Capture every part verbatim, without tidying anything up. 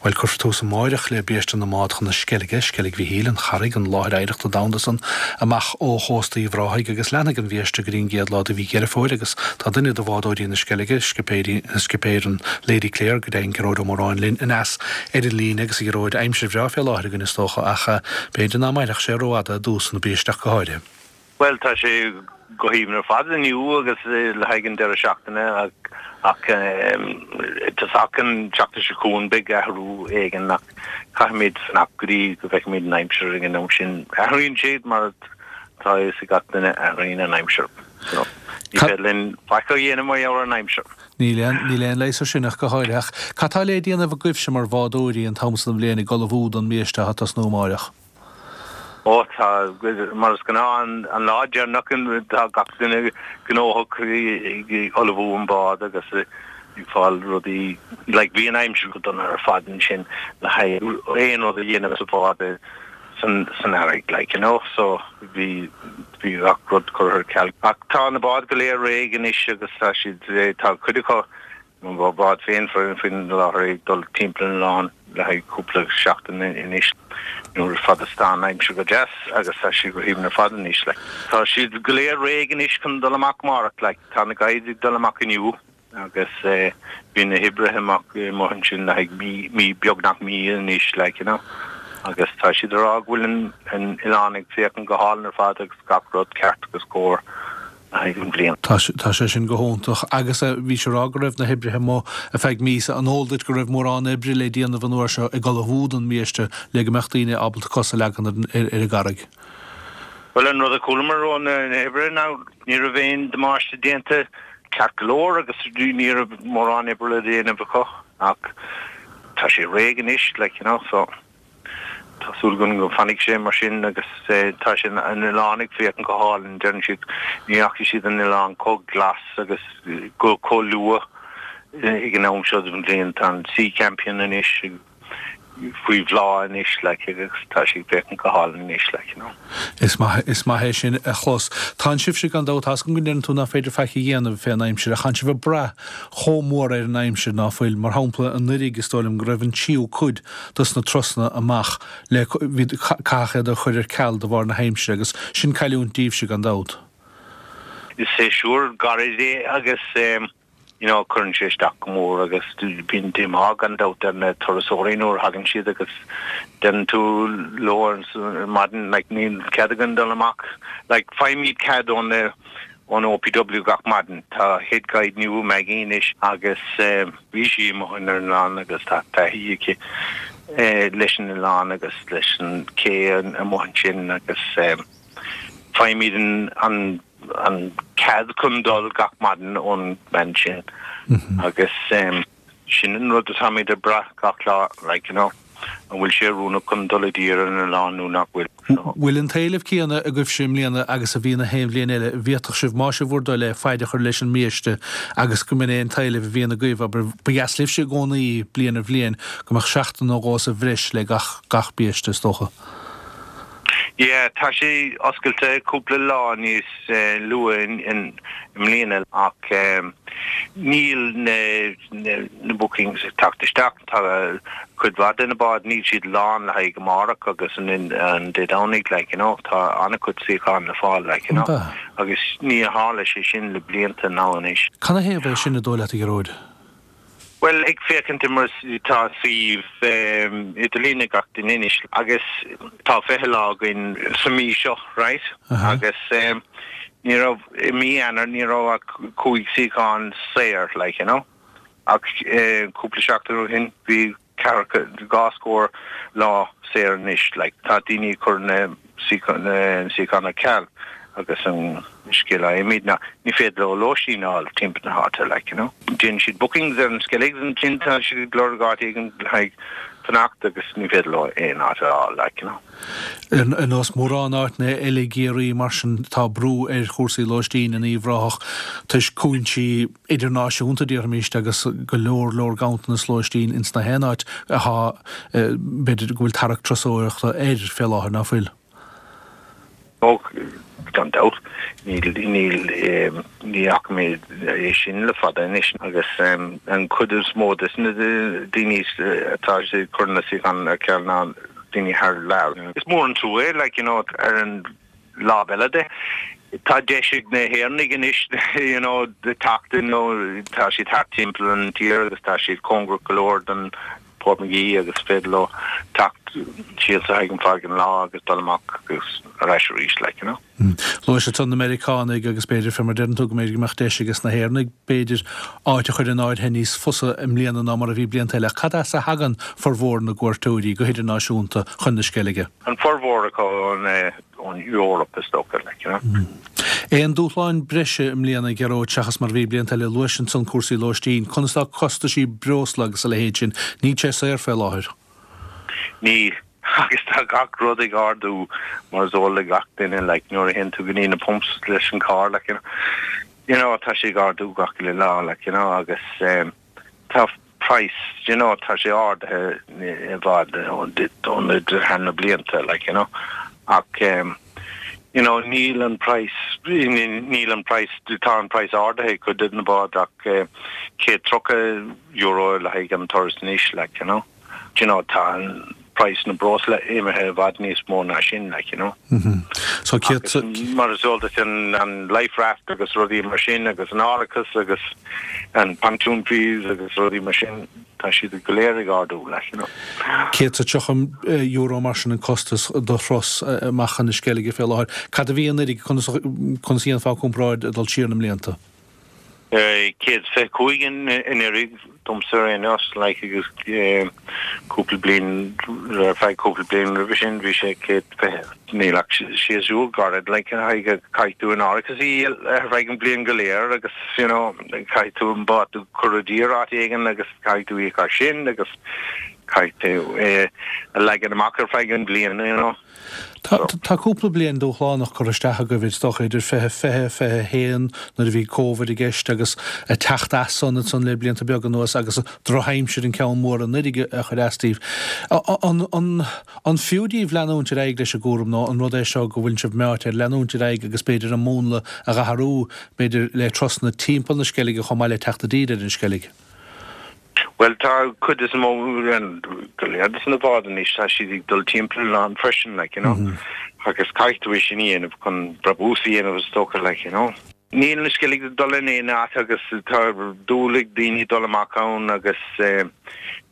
Bhuel, cuirfear tús amáireach le biaiste na mbád chun na Sceilge, Sceilg Mhichíl, an Charraig, an láthair oidhreachta domhanda san, amach ó chósta Uíbh Ráthaigh agus leanfaidh an bhiaiste go dtí an gcéad lá de mhí Dheireadh Fómhair agus tá duine de bhádóirí na Sceilge, scipéirí, scipéir an Lady Clare, go deimhin, Gearóid Ó Móráin linn aneas ar an líne agus a Ghearóid, aimsir bhreá fé láthair againn is dócha ach b'fhéidir ná mairfeadh sé rófhada i dtús na biaiste ach go háirithe. Bhuel, tá sé go haoibhinn ar fad inniu agus le haghaidh an deireadh seachtaine ach tosach an tseachtain seo chugainn beidh athrú éigin ach caithfimid fanacht go dtí go bhfeicfimid an aimsir ag an am sin. Athraíonn sé mar tá a fhios ag gach duine athraíonn an aimsir. So, ní féidir linn faic a dhéanamh mar gheall ar an aimsir. Níl aon níl aon leigheas ar sin ach go háirithe. Ach cad tá le déanamh agaibhse mar bhádóirí an t-am san den bhliain ag ullmhú don mbiaiste atá ag tosnú amáireach? Ó tá, mar is gnáth an lá deireanach tá gach duine gnóthach ag ullmhú an bád agus ag fáil rudaí, like bhí an aimsir go dona ar fad ansin le haghaidh aon rud a dhéanamh sa bhád san san earraigh like you know so bhí bhí gach rud curtha ar ceal. Ach tá na báid go léir réidh anois agus tá siad tá cuid acu Mo bhád féin faoin láthair ag dul timpeall an oileáin le haghaidh cúpla seachtain anois nuair fad is atá an aimsir go deas agus tá sí go haoibhinn ar fad anois like. Tá siad go léir réidh anois chun dul amach amárach like. Tá na guides ag dul amach inniu agus bhí na hoibrithe amach amuigh ansin le haghaidh mí, mí, beagnach mí anois like you know agus tá siad ag rá go bhfuil an an oileán ag féachaint go hálainn ar fad agus gach rud ceart agus cóir. an bhliain. Tá sé sin go hiontach. Agus bhís ag rá go raibh na hoibrithe amuigh ar feadh míosa. An eol duit go raibh mórán oibre le déanamh an uair seo ag ullmhú don mbiaiste le go mbeadh daoine ábalta cos a leagan ar an gcarraig? Bhuel, an rud a chualamar ó na hoibrithe ná ní raibh aon damáiste déanta ceart go leor agus ní raibh mórán oibre le déanamh acu ach tá sé réidh anois, like, you know, so. Tá súil agam go bhfanfaidh sé mar sin agus tá sé an oileán ag féachaint go hálainn. Deireann siad ní fhaca siad an oileán chomh glas agus chomh luath ag an am seo den bhliain. Tá an Sea Champion anois faoi bhláth anois like agus tá sé ag féachaint go hálainn anois like you know. Is maith, is maith é sin a chlos. Tánn sibhse gan dabht, tá's agam go ndeireann tú nach féidir faic a dhéanamh fén aimsir ach tánn sibh ag brath chomh mór ar an aimsir ná fuil. Mar shampla, anuiridh is dóigh liom go raibh an tríú cuid dos na turasanna amach le, bhí, caitheadh iad a chur ar ceal de bharr na haimsire agus sin cailliúint daoibhse gan dabht. Is séasúr gairid é agus you know cuireann sé isteach go mór agus bíonn díomá gan dabht ar na turasóirí nuair a thagann siad agus deireann tú leo ar maidin like níl cead againn dul amach like faighimid cead ó na ón OPW gach maidin. Tá head guide nua Maggie anois agus bhí sí amuigh ar an oileán agus tá taithí aici leis an oileán agus leis an cé amuigh ansin agus faighimid an an cead chun dul gach maidin ón mbean sin agus sin an rud atáimid ag brath gach lá like you know an bhfuil sé oiriúnach chun dul i dtír ar an oileán nó nach bhfuil. So. Bhfuil an t-éileamh céanna agaibhse i mbliana agus a bhí na haon bhliain eile? Bhféadfadh sibh, más é bhur dtoil é, faid a chur leis an mbiaiste agus go mb'in é an t-éileamh a bhíonn agaibh, abair, ba dheas libhse i gcónaí, bliain ar bhliain, go mbeadh seachtain nó dhó sa bhreis le gach gach biaiste, is dócha. Yeah, tá sé oscailte cúpla lá níos luaithe i mbliana ach níl na na bookings ag teacht isteach. Tá cuid mhaith de na báid, níl siad lán le haghaidh amárach agus an Dé Domhnaigh like you know. Tá an-chuid suíochán le fáil like you know agus níor tharla sé sin le blianta now anois. Canathaobh é sin, an dóigh leat, a Ghearóid? Bhuel, ag féachaint mar tá suíomh idirlín ag gach duine anois agus tá fiche lá againn sa mí seo, right? Agus ní raibh, i mí Eanáir ní raibh ach cúig suíochán saor, like, you know? Ach cúpla seachtain ó shin bhí ceathracha, dhá scór lá saor anois, like, tá daoine ag cur na suíocháin ar ceal agus an scéal a fhaighimid ná ní féidir leo lóistín a fháil timpeall na háite, like, you know. Déanann siad bookings ar an Skelligs ansin tá siad ag lorg áit éigin le haghaidh fanacht agus ní féidir leo aon áit a fháil, like, you know. Ar nós mórán áiteanna eile i gCiarraí mar sin tá brú ar chúrsaí lóistín in Uíbh Ráthach toisc cúinsí idirnáisiúnta déarfaimis agus go leor leor ganntanas lóistín ins na haon áit athá b'fhéidir go bhfuil tarrac turasóireachta air fé láthair, ná fuil? Ó, gan dabht, níl níl ní fhaca mé é sin le fada anois agus an chuid is mó de na daoine atá ag cur na suíochán ar ceal ná daoine thar lear. Is mór an trua é, like, you know, ar an lámh eile de, tá deis ag na hÉireannaigh anois, you know, teacht, you know, tá siad thart timpeall an tír agus tá siad cóngarach go leor don Portmagee agus féidir leo teacht síos le haghaidh an feadh an lá agus dul amach agus ar ais arís, like, you know. Luaigh tú na Meiriceánaigh agus b'fhéidir fé mar deireann tú go mb'fhéidir go mbeadh deis ages na hÉireannaigh b'fhéidir áit a chur in áirithe níos fusa i mbliana ná mar a bhí blianta eile. Cad as a thagann formhór na gcuairteoirí go hidirnáisiúnta chun na Sceilge? An formhór acu ón ón Eoraip is dócha, like, you know. Aon dúshláin breise i mbliana, Gearóid, seachas mar a bhí blianta eile? Luais ansan cúrsaí lóistín. Conas tá costaisí breosla agus a leithéid sin? Níl sé saor fé láthair. Níl. Agus tá gach rud ag ardú mar is eol le gach duine, like, nuair a théann tú go dtí na pumps leis an carr, like, you know, you know, tá sé ag ardú gach uile lá, like, you know, agus um, tá price, you know, tá sé ardaithe i bhfad ó na thar na blianta, like, you know, ach um, you know, níl an price, níl an price, tá an price ardaithe cuid de na báid ach uh, céad tríocha euro le haghaidh an turas anois, like, you know. You know, tá an price na breosla imithe i bhfad níos mó ná sin, like, you know. Mm -hmm. So céad mar is eol duit an, an life raft agus rudaí mar sin agus an árachas agus an pontoon fees agus rudaí mar sin tá siad go léir ag ardú, like, you know. Céad is tríocha euro mar sin an costas do thuras amach chun na Sceilge fé láthair. Cad a bhí anuraidh conas conas a dhéanfá comparáid ag dul siar na mblianta? Céad fiche cúig anuraidh domsa ar aon nós, like, agus cúpla bliain ar feadh cúpla bliain roimhe sin bhí sé céad fiche. Níl ach séasúr gairid, like, caithfidh tú an árachas a dhíol ar feadh an bliain go léir agus you know, caithfidh tú an bád a chur i dtír áit éigin agus caithfidh tú íoc as sin agus caithfidh tú é a leagan amach ar feadh an bliain, you know. Tá cúpla bliain dúshlánach curtha isteach agaibh, is dócha, idir fiche, fiche, fiche a haon nuair a bhí Covid i gceist agus ag teacht as san ansan le blianta beaga anuas agus drochaimsir an ceann mór anuraidh a chuir as daoibh. An fiú daoibh leanúint ar aghaidh leis an gcúram nó an rud é seo go bhfuil sibh meáite ar leanúint ar aghaidh agus b'fhéidir an múnla a dh'athrú, b'fhéidir le turasanna timpeall na Sceilge chomh maith le teacht i dtír ar an Sceilg? Bhuel tá cuid is mó go leor de na báid anois tá siad ag dul timpeall an oileáin freisin like you know mm -hmm. agus caithfidh tú é sin a dhéanamh chun brabús a dhéanamh is dócha like you know. Níl na Sceilg ag dul in aon áit agus tá dúil ag daoine dul amach ann agus eh,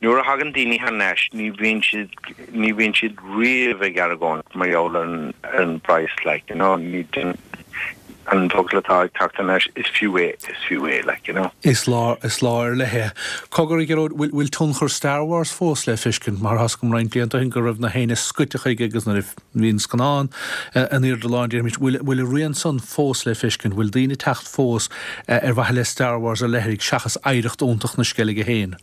nuair a thagann daoine thar n-ais ní bhíonn siad ní bhíonn siad riamh ag argóint mar gheall ar an ar an price like you know ní an focal atá ag teacht anois, is fiú é, is fiú é, like, you know. Is lá, is lá ar leith é. Cogar, a Ghearóid, bhfuil, bhfuil tionchar Star Wars fós le feiscint? Mar thá's agam roinnt blianta ó shin go raibh na héinne scoite chuige agus nuair a bhí an scannán in airde lán, déarfaimis, bhfuil, bhfuil a rian san fós le feiscint? Bhfuil daoine ag teacht fós ar mhaithe le Star Wars ar leithligh seachas oidhreacht iontach na Sceilge féin?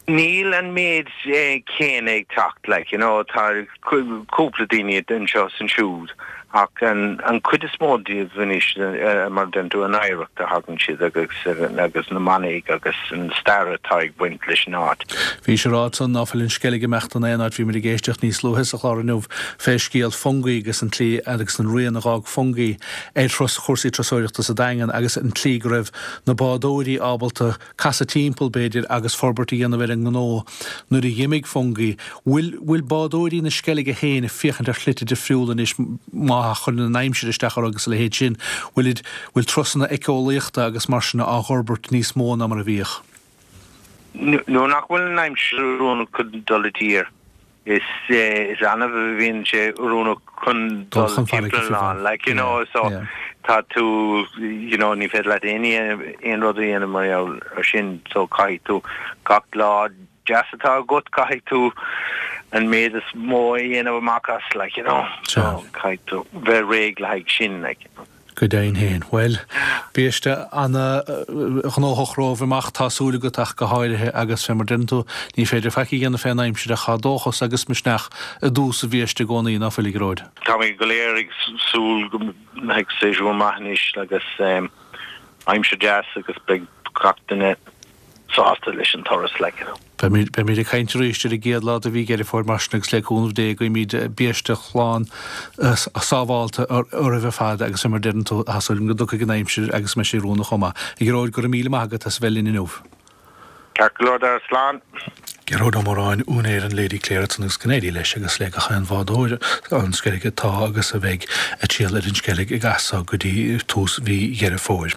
Níl an méid céanna ag teacht, like, you know, tá cúpla daoine anseo is ansiúd ach an an cuid is mó díobh anois, mar a deireann tú, an oidhreacht a thagann siad agus agus na manaigh agus an stair atá ag baint leis an áit. Bhís ag rá ansan ná fuil an Sceilg ag imeacht in aon áit, bhí muid ag éisteacht níos luaithe sa chlár inniu fé scéal Fungie agus an tslí agus an rian a dh'fhág Fungie ar thuras chúrsaí turasóireachta sa Daingean agus an tslí go raibh na bádóirí ábalta casadh timpeall, b'fhéidir, agus forbairt a dhéanamh ar an ngnó nuair a dh'imigh Fungie. Bhfuil, bhfuil bádóirí na Sceilge féin ag féachaint ar shlite difriúla anois má chuireann an aimsir isteach orthu agus a leithéid sin? Bhfuil, bhfuil turasanna éiceolaíochta agus mar sin á bhforbairt níos mó ná mar a bhíodh? Nuair nach bhfuil an aimsir oiriúnach chun dul i dtír, Is is annamh a bhíonn sé oiriúnach chun Dul dul chun farraige timpeall fiú an amháin. Like, you know, Yeah, so yeah. tá tú, you know, ní féidir leat aon aon rud a dhéanamh mar gheall ar sin, so caithfidh tú gach lá deas atá agat, caithfidh tú an méid is mó a dhéanamh amach as, like, you know, so Sea. caithfidh tú bheith réidh le haghaidh sin, like, you know. Go deimhin féin. Bhuel, biaiste ana-ghnóthach romhaibh amach, tá súil agat ach go háirithe, agus fé mar deireann tú, ní féidir faic a dhéanamh fén aimsir ach tá dóchas agus misneach i dtús an bhiaiste i gcónaí, ná fuil, a Ghearóid? Táimid go léir ag súil go mbeidh séasúr maith anois agus aimsir deas agus beidh gach duine sásta leis an turas, like, you know. Beimid ag caint arís ar an gcéad lá de mhí Dheireadh Fómhair mar sin agus le cúnamh Dé guímid biaiste shlán sábhálta oraibh ar fad agus mar a deireann tú tá súil agam go dtiocfaidh an aimsir agus go mbeidh sí oiriúnach chomh maith. A Ghearóid, go raibh míle maith agat as a bheith linn inniu. Ceart go leor Dara, slán. Gearóid Ó Móráin, úinéir an Lady Clare ansan agus go n-éirí leis agus le gach aon bhádóir an Sceilg atá agus a bheidh ag triall ar an Sceilg as so go dtí tús mhí Dheireadh Fómhair.